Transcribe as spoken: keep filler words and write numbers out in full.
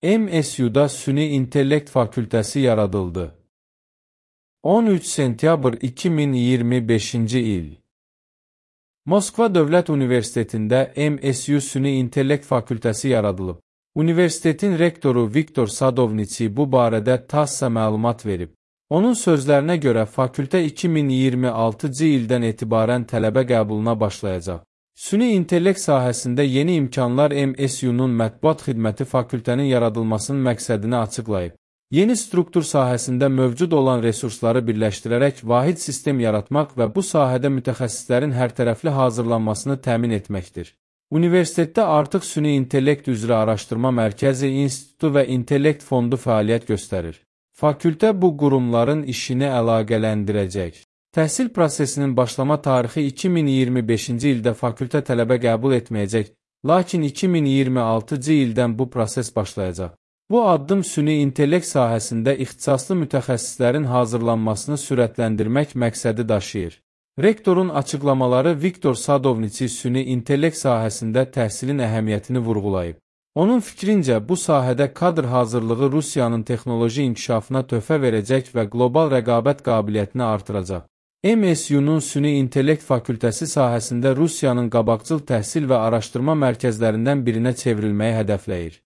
M S U-da Süni İntellekt Fakültəsi yaradıldı. on üç sentyabr iki min iyirmi beşinci il. Moskva Dövlət Universitetində M S U Süni İntellekt Fakültəsi yaradılıb. Universitetin rektoru Viktor Sadovniçi bu barədə TASS-a məlumat verib. Onun sözlərinə görə fakültə iki min iyirmi altıncı ildən etibarən tələbə qəbuluna başlayacaq. Süni intellekt sahəsində yeni imkanlar M S U-nun mətbuat xidməti fakültənin yaradılmasının məqsədini açıqlayıb. Yeni struktur sahəsində mövcud olan resursları birləşdirərək vahid sistem yaratmaq və bu sahədə mütəxəssislərin hərtərəfli hazırlanmasını təmin etməkdir. Universitetdə artıq Süni İntellekt üzrə araşdırma mərkəzi, institutu və intellekt fondu fəaliyyət göstərir. Fakültə bu qurumların işini əlaqələndirəcək. Təhsil prosesinin başlama tarixi iki min iyirmi beşinci ildə fakültə tələbə qəbul etməyəcək, lakin iki min iyirmi altıncı ildən bu proses başlayacaq. Bu addım süni intellekt sahəsində ixtisaslı mütəxəssislərin hazırlanmasını sürətləndirmək məqsədi daşıyır. Rektorun açıqlamaları Viktor Sadovniçi süni intellekt sahəsində təhsilin əhəmiyyətini vurğulayıb. Onun fikrincə, bu sahədə kadr hazırlığı Rusiyanın texnoloji inkişafına töhfə verəcək və qlobal rəqabət qabiliyyətini artıracaq. M S U-nun Süni İntellekt Fakültəsi sahəsində Rusiyanın qabaqcıl təhsil və araşdırma mərkəzlərindən birinə çevrilməyi hədəfləyir.